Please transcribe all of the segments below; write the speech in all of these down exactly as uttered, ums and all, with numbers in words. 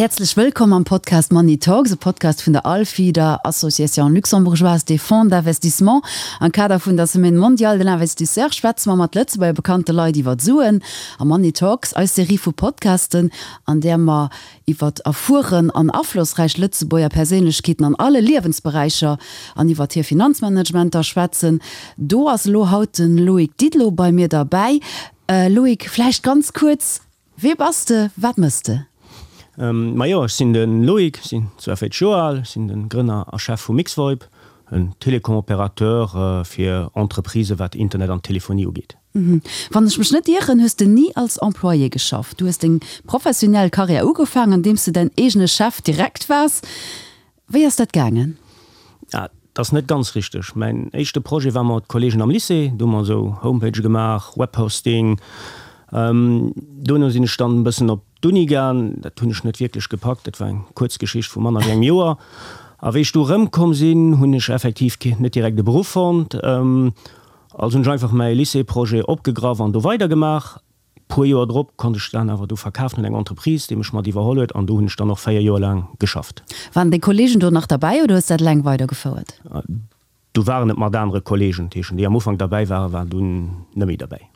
Häerzlech wëllkomm am Podcast Money Talks, e Podcast vun der ALFI, der Association Luxembourgeoise des Fonds d'Investissement. Am Kader vun der Semaine mondiale de l'investisseur schwätze mer mat Lëtzebuerger bekannte Leit iwwer Suen. A Money Talks, eis Serie vu Podcasten, an där mer iwwer erfueren an aflossräich Lëtzebuerger Perséinlechkeeten an alle Liewensberäicher an iwwer hir Finanzmanagementer schwätzen. Do ass elo haut de Loïc Didelot bei mir derbäi. Loïc, vläicht ganz kuerz, Wee bass de, wat mëss de? Majo, ech sinn de Loïc, sinn zwouavéierzeg Joer al, sinn de Grënner a Chef vu Mixvoip, en Télécom-Opérateur fir Entreprisë wat Internet an Telefonie ugeet. Wann ech mech net ieren, hues de ni als Employé geschafft. Du hues deng professionell Karriär ugefaangen, andeems de däin eegene Chef direkt waars. Wéi ass dat gaangen? Dat ass net ganz richteg. Mäin éischte Projet war mat Kolleegen am Lycée. Do hu mer esou Homepagë gemaach, Webhosting. Dono sinn ech dann e bëssen op d'Uni gaang. Dat hunn ech net wierklech gepackt. Dat war eng kuerz Geschicht vu manner wéi engem Joer. A wéi ech du erëmkomm sinn, hunn ech effektiv net direkt e Beruff fonnt. Also hunn ech einfach mäi Lycée-Projet opgegraff an do weidergemaach. Puer Joer drop konnt ech dann awer do verkafen un eng Entreprise, déi mech mat iwwerholl huet an do hunn ech dann och véier Joer laang geschafft. Waren deng Kollegen do nach derbäi oder hues de dat eleng weidergefouert? Do waren et mat anere Kollegen, dat heeschen déi am Ufank derbäi waren, waren dunn net méi derbäi.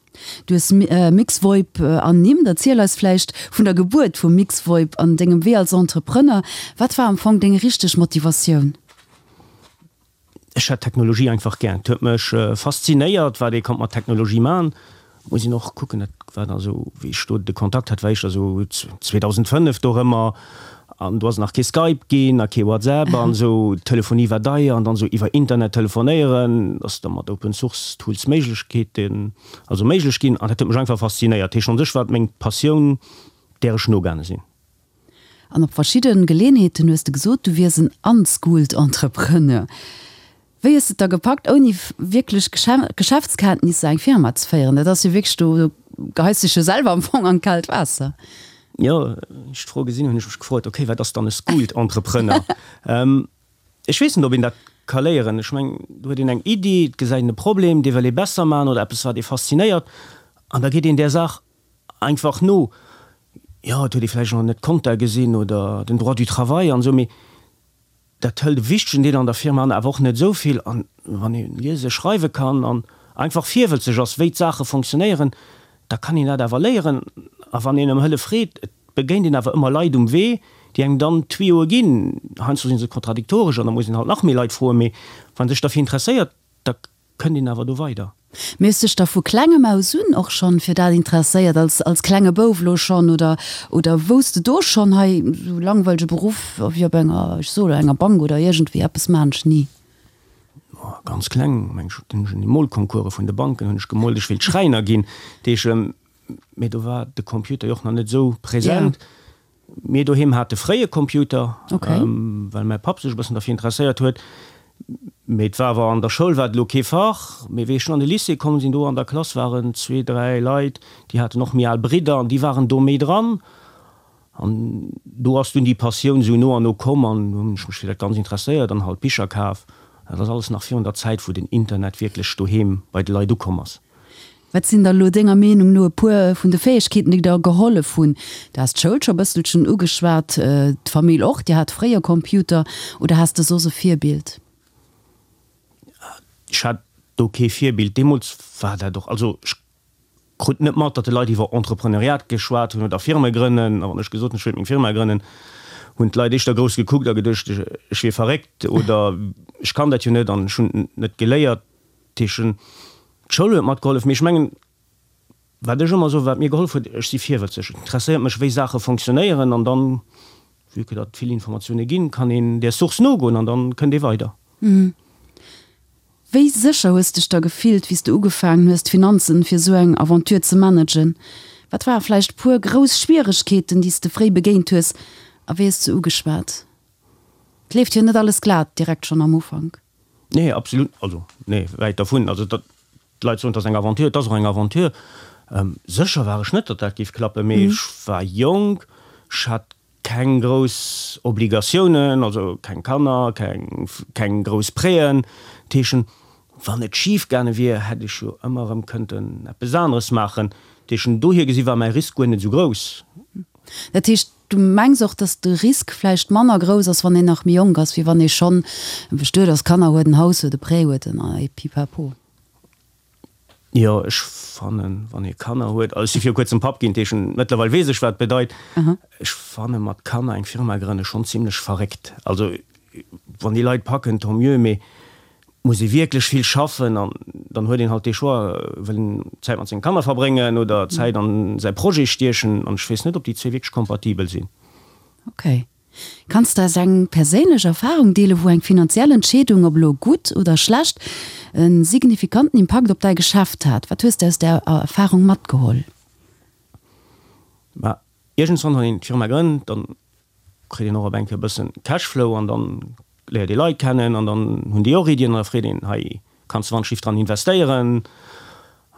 Du hues Mixvoip ernimmt. Erziel eis vläicht vun der Gebuert vu Mixvoip an dengem Wee als Entrepreneur. Wat war am Fong deng richteg Motivatioun? Ech hat Technologie einfach gär. Et huet mech faszinéiert, wat ee konnt mat Technologie man. Muss een och kucken, dat war da sou, wéi ech do de Kontakt hat, war éischter sou zweedausendfënnef dorëmmer an do ass et nach kee Skype ginn a kee WhatsApp an esou. D'Telefonie war deier an dann esou iwwer Internet telefonéieren ass da mat Open Source Tools Méiglechkeeten, also méiglech ginn an dat huet mech einfach faszinéiert. Dat heescht, un sech war et meng Passioun, där ech nogaange sinn. An op verschidde Geleeënheeten hues de gesot, du wiers en unschooled Entrepreneur. Wéi hues de et da gepackt, ouni wierklech Geschäftskenntnisser eng Firma ze féieren? Dat ass jo wierklech, do geheis dech jo selwer am Fong an d'kaalt Waasser. Jo, wéi ech d'Fro gesinn hunn, hunn ech mech gefrot, ok, wat ass dann e schooled Entrepreneur? Ech weess net, ob een dat ka léieren. Ech mengen, do huet een eng Iddi, et gesäit een e Problem, dee wëll ee besser maachen oder eppes, wat ee faszinéiert, an da geet een där Saach einfach no. Jo, et huet ee vläicht nach net d'Konta gesinn oder den Droit du travail an esou, mee dat hëlt e wichtegen Deel an der Firma an, awer och net esou vill. An wann ee liese, schreiwe kann an einfach virwëlzeg ass, wéi d'Saache fonctionnéieren, da kann een dat awer léieren. A wann een ëm Hëllef freet, et begéint een awer ëmmer Leit um Wee, déi engem dann Tuyauë ginn. Heiansdo si se kontradiktoresch an da muss een halt nach méi Leit froen, mee wann ee sech derfir interesséiert, da kënnt een awer do weider. Mee hues dech da vu klengem aus un och schonn fir dat interesséiert, als als klenge Bouf elo schonn, oder oder wousst de do schonn, hei esou langweilege Beruff wéi op enger, ech soe lo, enger Bank oder iergendwéi eppes maan ech ni? Ganz kleng, meng ech, hunn ech un de Molconcourse vun de Banken hunn ech gemoolt, ech wéilt Schräiner ginn. Dat heescht, mee do war de Computer jo och nach net esou present. Mir doheem hate fréi e Computer, well mäi Papp sech e bëssen derfir interesséiert huet. Mee et war awer an der Schoul war et elo kee Fach. Mee wéi ech dunn an de Lycée komm sinn, do an der Klass waren zwee, dräi Leit, déi haten och méi al Bridder an déi waren do méi dran. An do ass dunn déi Passioun esou no an no komm an du hunn ech mech fir dat Ganzt interesséiert an halt Bicher kaf. Dat ass alles nach virun der Zäit, wou den Internet wierklech doheem bei de Leit ukomm ass. Wat sinn da lo denger Meenung no e puer vun de Fäegkeeten, déi der gehollef hunn? Du has d'Schoul scho bësselchen ugeschwat, d'Famill och, Dir hat fréier Computer, oder has de soss e Virbild? Ech hat do kee Virbild. Deemools war dat och, also ech krut net mat, datt de Leit iwwer Entrepreneuriat geschwat hunn oder Firme grënnen. A wann ech gesot hunn, ech wéilt meng Firma grënnen, hunn d'Leit éischter grouss gekuckt a geduecht, ech wier verréckt oder ech kann dat jo net an ech hunn et net geléiert. Dat heescht, D'Schoul huet matgehollef, mee ech mengen, wat ech ëmmer soen, wat mir gehollef huet, ech si virwëtzeg, et interesséiert mech, wéi Saache fonctionnéieren an dann, vue que datt et vill Informatioune ginn, kann een där Source nogoen an dann kënnt ee weider. Wéi sécher hues dech da gefillt, wéi s de ugefaangen hues, d'Finanzen fir esou eng Aventure ze managen? Wat ware vläicht puer grouss Schwieregkeeten, déi s de fréi begéint hues a wéi hues de se ugeschwat? Et leeft jo net alles glat direkt schonn am Ufank. Nee, absolut, also nee, wäit dervun. Also datt d'Leit soen, et ass eng Aventure, et ass och eng Aventure. Sécher war ech net, datt dat géif klappen, mee ech war jonk, ech hat keng grouss Obligatiounen, also keng Kanner, keng keng grouss Prêten. Dat heeschen, wann et schif gaange wier, hätt ech jo ëmmer erëm kënnten eppes aneres maachen. Dat heeschen, dohier gesi war mäi Risk guer net esou grouss. Dat heescht, du mengs och, datt de Risk vläicht manner grouss ass, wann een nach méi jonk ass, wéi wann ee schonn bestuet ass, Kanner huet, en Haus huet, e Prêt huet en a pipapo? Jo, ech fannen, wann ee Kanner huet, also ech si viru kuerzem Papp ginn, dat heescht, mëttlerweil weess ech, wat et bedeit. Ech fanne mat Kanner eng Firma grënne schonn zimlech verréckt. Also wann déi Leit packen, tant mieux, mee et muss ee wierklech vill schaffen an dann huet een halt dee Choix, wëll een Zäit mat senge Kanner verbréngen oder Zäit an säi Projet stiechen an ech weess net, ob déi zwee wierklech kompatibel sinn. Ok. Kanns de eis eng perséinlech Erfarung deelen, wou eng finanziell Entscheedung, ob elo gutt oder schlecht, e signifikanten Impakt op däi Geschäft hat? Wat hues de aus där Erfarung matgeholl? Mä iergendswann, wann een d'Firma grënnt, dann kritt een och op eng Kéier e bëssen Cashflow an dann léiert ee Leit kennen an dann hunn déi och Iddien an da freet een, hei kanns de wannschlift dran investéieren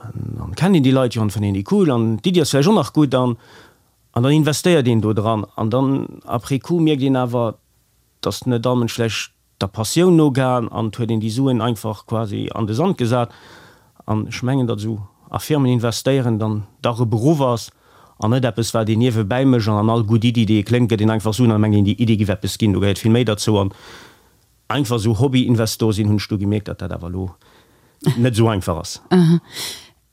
an dann kennt een déi Leit jo an fënnt een déi cool an d'Iddi ass vläicht och nach gutt an an dann investéiert een do dran an dann après coup mierkt een awer, dass net all Mënsch vläicht der Passioun nogaang an et huet een déi Suen einfach quasi an de Sand gesat an ech mengen, datt esou a Firmen investéieren dann dach e Beruff ass an net eppes wat een niewebäi mécht an an all gutt Iddi déi ee kléngt gëtt een einfach Suen an mengt een déi Iddi giff eppes ginn. Do gehéiert vill méi derzou an einfach esou Hobby-Investor sinn hunn ech du gemierkt, datt dat awer elo net esou einfach ass.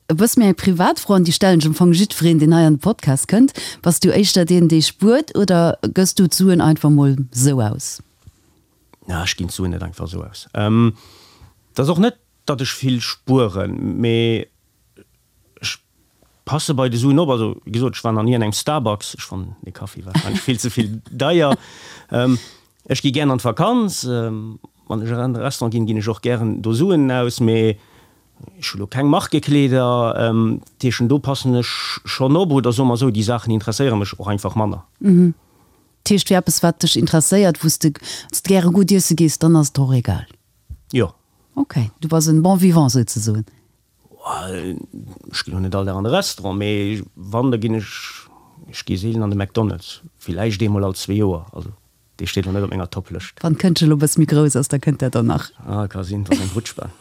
E bësse méi eng privat Fro an déi stellen ech am Fong jiddwereen deen hei an de Podcast kënnt, Bass du éischter deen dee spuert oder gëss du d'Suen einfach mol sou aus? Na, ech ginn d'Suen net einfach sou aus. Et ass och net, datt ech vill spueren, mee ech passe bei de Suen op. Also, wéi gesot, ech war nach ni an engem Starbucks. Ech fannen dee Kaffi warscheinlech vill ze vill deier. Ech gi gären an d'Vakanz. Wann ech an e Restaurant ginn, ginn ech och gären do Suen aus, mee ech hu lo keng Markekleeder. Dat heeschen, do passen ech schonn op. Oder soe mer esou, déi Saachen interesséiere mech och einfach manner. Dat heescht, fir eppes, wat dech interesséiert, wou s de gäre gutt iesse gees, dann ass et och egal? Jo. Ok, du bass en bon vivant souzesoen. Ech ginn och net all Dag an de Restaurant, mee wann, da ginn ech, ech gi seelen an de McDonald's, villäicht eemol all zwee Joer. Also dee steet elo net op menger Top-Lëscht. Wann d'Këndchen elo e bësse méi grouss ass, da kënnt dat dann nach. Ah, ka sinn, dass eng Rutschbahn.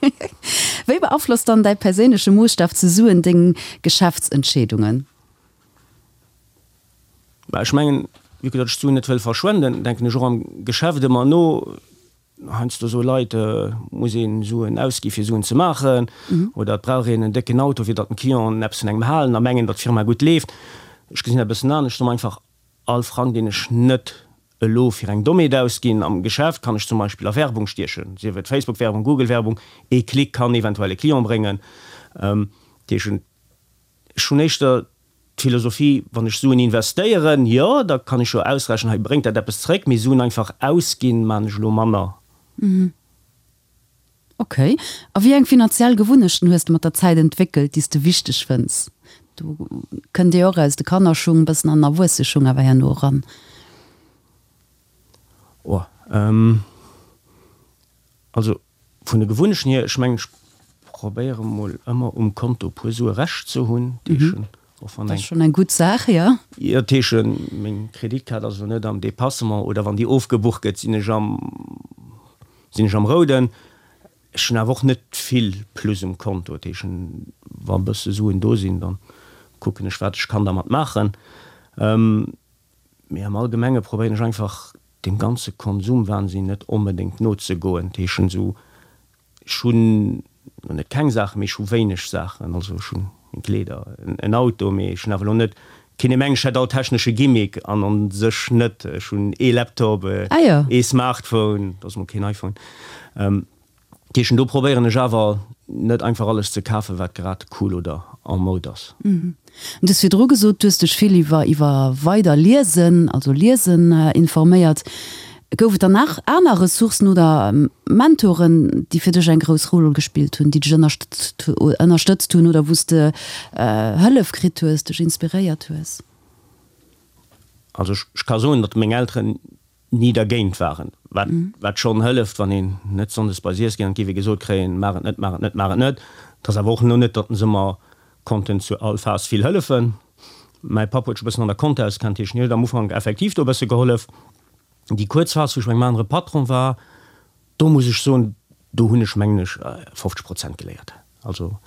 Wéi beaflosst dann däi perséinleche Moosstaf zu Suen deng Geschäftsentscheedungen? Mä ech mengen, vue que datt ech d'Suen net wëll verschwenden, denken ech och am Geschäft ëmmer no. Heiansdo soe Leit, et muss ee Suen ausgi fir Suen ze maachen, oder et brauch een en décken Auto fir datt den Clienten eppes vun engem halen a mengen, datt d'Firma gutt leeft. Ech gesinn dat e bëssen anescht. Ech soe mer einfach, all Frang deen ech net elo fir eng Dommheet ausginn am Geschäft, kann ech zum Beispill a Werbung stiechen, sief et Facebook-Werbung, Google-Werbung, ee Klick kann eventuell e Client bréngen. Dat heescht, ech hunn éischter d'Philosophie, wann ech Suen investéieren, jo, da kann ech jo ausrechnen, hei bréngt dat eppes zréck, mee Suen einfach ausginn, maachen ech elo manner. Ok. A wéi eng finanziell Gewunnechten hues de mat der Zäit entwéckelt, déi s de wichteg fënns? Do kënnt Dir och aus de Kannerschung e bëssen an den Erwuesseschung awer herno eran. Oh, also vun de Gewunnechten hier, ech mengen, ech probéiere mol ëmmer um Konto e puer Sue Rescht ze hunn, dat heescht, och wann eng. Dat ass schonn eng gutt Saach, jo. Jo, dat heescht, meng Kreditkaart ass elo net am Dépassement oder wann déi ofgebucht gëtt, sinn ech am, sinn ech am Rouden. Ech hunn awer och net vill Plus um Konto, dat heescht, wa e bësse Suen do sinn, da kucken ech, wat ech kann dermat maachen. Mee am Allgemenge probéieren ech einfach deem ganze Konsumwahnsinn net onbedéngt nozegoen. Dat heescht esou, ech hunn elo net keng Saachen, mee ech hu wéineg Saachen. Also ech hunn meng Kleeder, en Auto, mee ech hunn awer elo net, keen ee mengt ech hätt all technesche Gimmick an an sech net. Ech hunn ee Laptop, ee Smartphone, dat ass mol keen iPhone. Dat heescht, do probéieren ech awer net einfach alles ze kafen, wat grad cool oder en mode ass. Du hues virdru gesot, du hues dech vill iwwer iwwer weider Liesen, also Liesen informéiert. Gouf et dann nach aner Ressourcen oder Mentoren, déi fir dech eng grouss Roll gespillt hunn, déi dech ënnerstëtzt hunn oder wou s de Hëllef kritt hues, dech inspiréiert hues? Also ech ka soen, datt meng Elteren ni dergéint waren, wat wat schonn hëlleft, wann een net sonndes bei si iesse geet an et géif ee gesot kréien, maach et net, maach et net, maach et net. Et ass awer och elo net, datt se mer konnten zu all Phas vill hëllefen. Mäi Papp huet sech e bëssen an der Compta auskannt, heescht, hien huet am Ufank effektiv do e bësse gehollef. Déi kuerz Phas, wou ech bei engem anere Patron war, do muss ech soen, do hunn ech, mengen ech, fofzeg Prozent geléiert. Also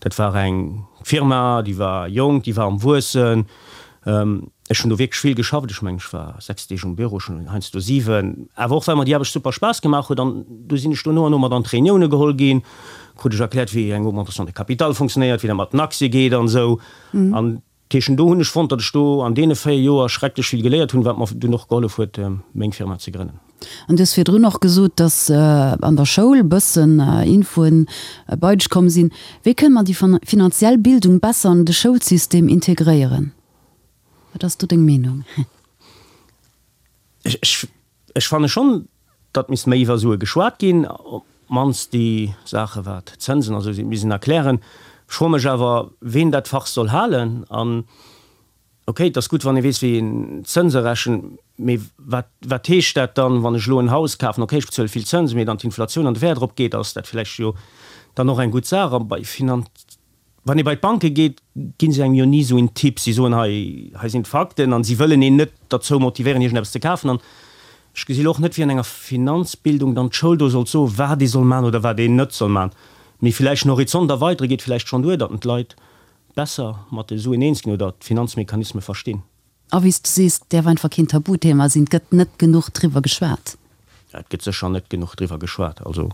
dat war eng Firma, déi war jonk, déi war am Wuessen. Ech hunn do wierklech vill geschafft, ech mengen, ech war sechs Deeg um Büro, schonn heiansdo siwen, awer och well mer déi Aarbecht super Spaass gemaach huet. An du sinn ech do no an no mat an d'Reunioune geholl ginn, krut ech erkläert, wéi eng Augmentation de capital funktionéiert, wéi dat mat den Aktie geet an esou. An dat heescht, do hunn ech fonnt, datt ech do an deene véier Joer schrecklech vill geléiert hunn, wat mer dunn och gehollef huet, meng Firma ze grënnen. An du hues virdrun och gesot, datt an der Schoul e bëssen Infoen bei dech komm sinn. Wéi kënne mer déi finanziell Bildung besser an de Schoulsystem integréieren? Wat ass do deng Meenung? Ech, ech fanne schonn, datt misst méi iwwer Sue geschwat ginn, op d'mannst déi Saache wat Zënsen a sou sinn, misst een erklären. Ech froe mech awer, ween dat Fach soll halen. An ok, et ass gutt, wann ee weess, wéi een Zënse rechent, mee wat, wat heescht dat dann, wann ech elo en Haus kafen? Ok, ech bezuele vill Zënsen, mee dann d'Inflatioun an de Wäert eropgeet, ass dat vläicht jo dann och eng gutt Saach. A bei Finan. Wann ee bei d'Banke geet, gi se engem jo ni esou een Tipp. Si soen, hei, hei sinn d'Fakten an si wëllen een net derzou motivéieren, iergendeppes ze kafen. An ech gesi lo och net, wéi an enger Finanzbildung dann d'Schoul do sollt soen, wat ee soll maachen oder wat een net soll maachen. Mee villäicht den Horizont erweidere geet villäicht schonn duer, datt d'Leit besser mat de Suen eens ginn oder d'Finanzmechanisme verstinn. A wéi s du sees, däerf einfach keen Tabuthema sinn. Et gëtt net genuch driwwer geschwat. Et gëtt sécher net genuch driwwer geschwat. Also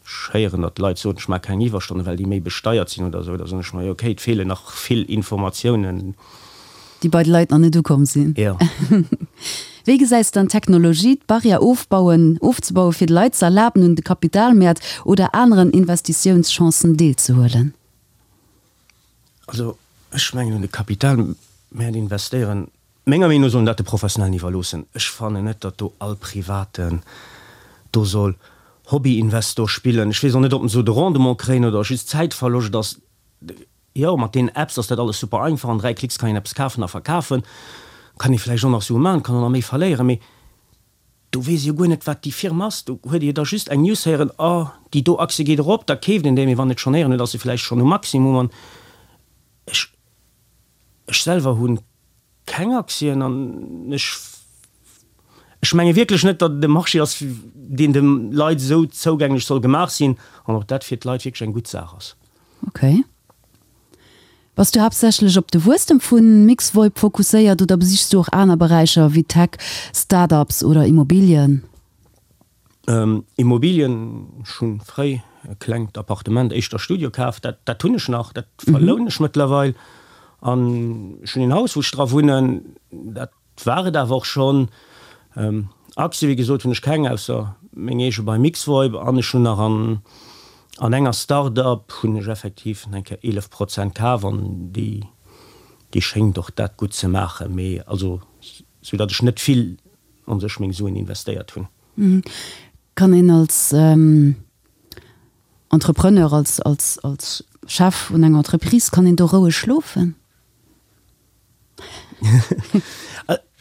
ech héieren, datt Leit soen, ech maache keng Iwwerstonnen, well déi méi besteiert sinn oder esou. Da soen ech mer, jo okay, et feelen nach vill Informatiounen. Déi bei de Leit nach net ukomm sinn. Jo. Wéi gesäis de dann d'Technologie, d'Barrière ofbauen, ofzebauen, fir de Leit ze erlaben, un de Kapitalmäert oder aneren Investitiounschancen deelzehuelen? Also ech mengen, un de Kapitalmäert investéieren, menger Meenung no soll een dat de Professionellen iwwerloossen. Ech fannen net, datt do all Privaten do soll Hobbyinvestor spillen. Ech weess och net, ob en esou de Rendement kréien oder just Zäitverloscht ass. Jo, mat deenen Apps ass dat alles super einfach, an dräi Klicks kann een eppes kafen a verkafen. Kann ee vläicht och nach Sue maachen, kann och nach méi verléieren, mee do weess ee jo guer net, wat déi Firma ass. Do huet ee jo da just eng News héieren, oh, déi do Aktie geet erop, da keeft een déi, mee wann et schonn héieren huet, ass se vläicht schonn um Maximum. An ech, ech selwer hu keng Aktien an ech, ech menge wierklech net, datt et e Marché ass, deen de Leit esou zougänglech soll gemaach sinn an ob dat fir d'Leit wierklech eng gutt Saach ass. Ok. Bass du haaptsächlech op de Wuesstem vu Mixvoip fokusséiert oder besichs du och aner Beräicher wéi Tech, Start-ups oder Immobilien? Immobilien, ech hu fréi e klengt Appartement, éischter Studio kaf, dat dat hunn ech nach, dat verlounen ech mëttlerweil. An ech hunn een Haus, wou ech dra wunnen, dat war et awer och schonn. Aktie, wéi gesot, hunn ech keng, ausser meng eege bei Mixvoip. An ech hunn nach an an enger Start-up hunn ech effektiv eng Kéier eelef Prozent kaf an déi déi schéngt och dat gutt ze maachen. Mee also sou datt ech net vill an sech meng Suen investéiert hunn. Kann een als Entrepreneur, als als als Chef vun enger Entreprise, kann een do roueg schlofen?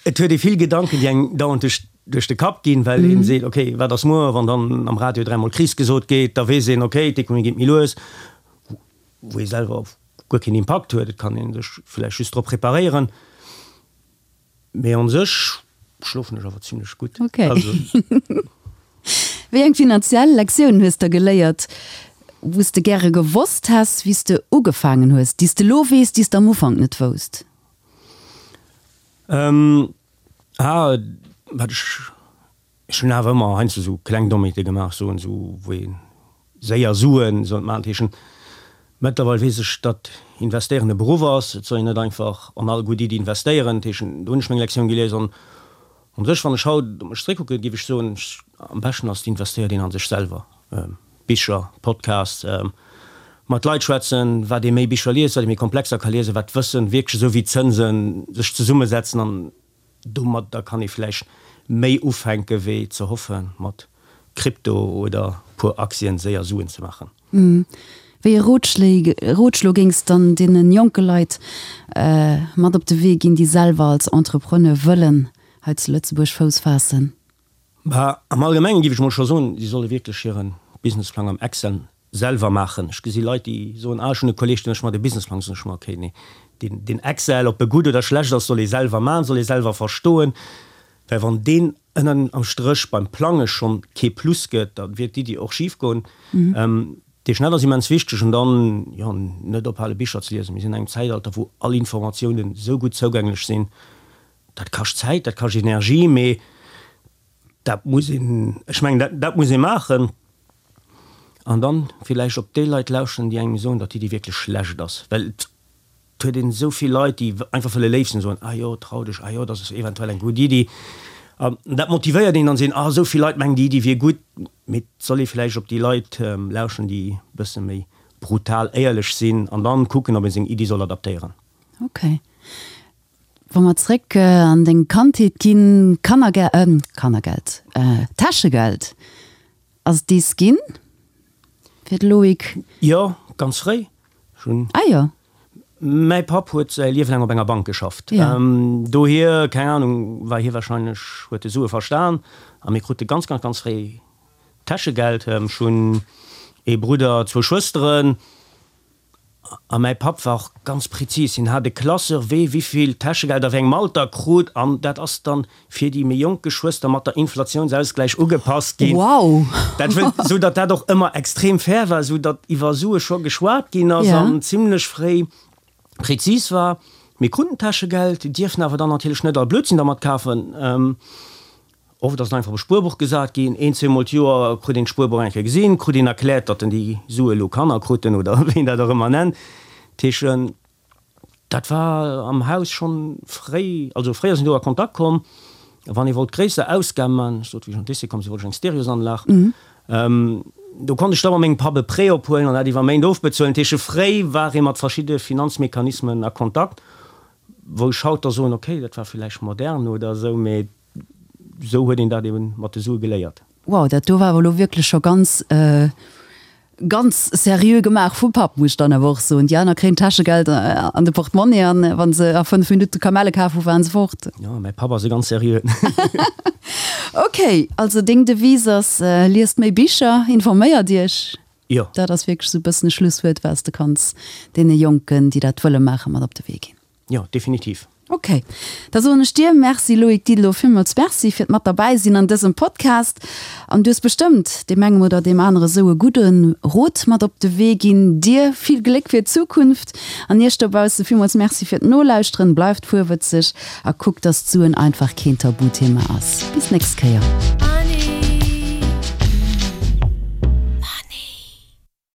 Et huet ee vill Gedanken, déi engem dauernd duerch duerch de Kapp ginn, well een seet, okay, wat ass muer, wann dann am Radio dräimol Kris gesot gétt, da weess een, okay, d'Ekonomie geet méi lues, wou ee selwer guer keen Impakt huet. Et kann ee sech vläicht just drop preparéieren. Mee an sech schlofen ech awer zimlech gutt. Okay. Wéi eng finanziell Lektiounen hues de geléiert, wou s de gäre gewosst häss, wéi s de ugefaangen hues, déi s de elo weess, déi s de am Ufank net wousst? Ähm, ah, wat ech, ech hunn awer ëmmer heiansdo esou kleng Dommheete gemaach, soen esou, wou ee séier Suen sollt maachen. Dat heeschen, mëttlerweil weess ech, datt investéieren e Beruff ass. Et soll een net einfach an all gutt Iddi investéieren. Dat heeschen, do hunn ech meng Lektioun gelies. An u sech, wann ech haut op mech zeréckkucken, géif ech soen, am beschten ass, et investéiert een a sech selwer. Bicher, Podcasts, mat Leit schwätzen, wat ee méi Bicher liest, wat ee méi komplexer ka liesen, wat d'Wëssen wierklech esou wéi d'Zënsen sech zesummesetzen an domadder kann ee vläicht méi ufänke wéi ze hoffe mat Krypto oder puer Aktien séier Suen ze maachen. Wéi e Rotschlo géings dann deene jonke Leit mat op de Wee ginn, déi selwer als Entrepreneur wëllen hei zu Lëtzebuerg Fouss faassen? Bah, am Allgemengen géif ech mol scho soen, si solle wierklech hire Businessplang am Excel selwer maachen. Ech gesi Leit, déi soen, ah, ech hunn e Kolleeg, dee mécht mer de Businessplang. Soen ech mer, okay, nee, deen, deen Excel, ob e gutt oder schlecht ass, soll ee selwer maachen, soll ee selwer verstoen, well wann deen ënnen am Stréch beim Plange schonn kee Plus gëtt, da wier d'Iddi och schif goen. Dee Schnett ass immens wichteg an dann, jo, net ophale Bicher ze liesen. Mir sinn an engem Zäitalter, wou all Informatiounen esou gutt zougänglech sinn. Dat kascht Zäit, dat kascht Energie, mee dat muss een, ech mengen, dat, dat muss ee maachen. An dann villäicht op déi Leit lauschteren, déi engem soen, datt d'Iddi wierklech schlecht ass. Well et huet een esou vill Leit, déi einfach wëlle léif sinn, soen, ah jo, trau dech, ah jo, dat ass eventuell eng gutt Iddi. An dat motivéiert een dann, seen, ah, esou vill Leit mengen, déi Iddi wier gutt. Mee et soll ee villäicht op déi Leit lauschteren, déi e bësse méi brutal éierlech sinn an dann kucken, ob ee seng Iddi soll adaptéieren. Ok. Wa mer zréck an deng Kandheet ginn, Kannerge-, Kannergeld, Täschegeld, ass et dees ginn fir de Loïc? Jo, ganz fréi. Ech hunn. Ah jo. Mäi Papp huet säi Liewe laang op enger Bank geschafft. Jo. Dohier, keng Ahnung, war hie wahrscheinlech, huet e Sue verstan a mir krute ganz, ganz, ganz fréi Täschegeld. Ech hunn ee Brudder, zwou Schwësteren. A mäi Papp war och ganz prezis, hien hat e Classeur, wee wivill Täschegeld a wéi engem Alter krut, an dat ass dann fir déi méi jonk Geschwëster mat der Inflatiounsausgläich ugepasst ginn. Wow! Dat wëll, sou datt dat och ëmmer extrem fair war, sou datt iwwer Sue scho geschwat ginn ass an zimlech fréi prezis war. Mir kruten Täschegeld, dierften awer dann natierlech net all Blödsinn dermat kafen. Oft ass et einfach op e Spuerbuch gesat ginn. Een, zweemol d'Joer krut een d'Spuerbuch eng Kéier gesinn, krut een erkläert, datt en déi Sue elo Kanner kruten oder wéi een dat och ëmmer nennt. Dat heescht, dat war am Haus schonn fréi, also fréi ass een do a Kontakt komm. A wann ee wollt gréisser Ausgabe man, ech sot, wéi ech an d'Lycée komm sinn, wollt ech eng Stereosanlag, do konnt ech da mat mengem Papp e Prêt ophuelen an dat iwwer Méint ofbezuelen. Dat heescht, fréi war ee mat verschidde Finanzmechanismen a Kontakt, wou ech haut da soen, okay, dat war villäicht modern oder esou, mee Esou huet een dat eben mat de Sue geléiert. Wow, dat do war awer elo wierklech scho ganz, ganz seriö gemaach vum Papp, muss ech dann awer och soen. Déi aner kréien d'Täschegeld an de Portemonnaie an wa se a fënnef Minutte Kamelle kaf hu waren se fort. Jo, mäi Papp ass e ganz seriöen. Ok, also deng Devise ass, liest méi Bicher, informéiert iech. Jo. Dat ass wierklech esou e bëssen e Schlusswuert, wat s de kanns deene Jonken, déi dat wëlle maachen, mat op de Wee ginn. Jo, definitiv. Ok, da soen ech dir Merci Loïc Didelot, villmools Merci fir d'mat derbäi sinn an dësem Podcast. An du hues bestëmmt deem engem oder deem anere sou e gudde Rot mat op de Wee ginn. Dir vill Gléck fir d'Zukunft an iech dobausse villmools Merci fir d'Nolauschteren. Bleift fuerwëtzeg a kuckt, dass d'Suen einfach keen Tabuthema ass. Bis nächst Kéier.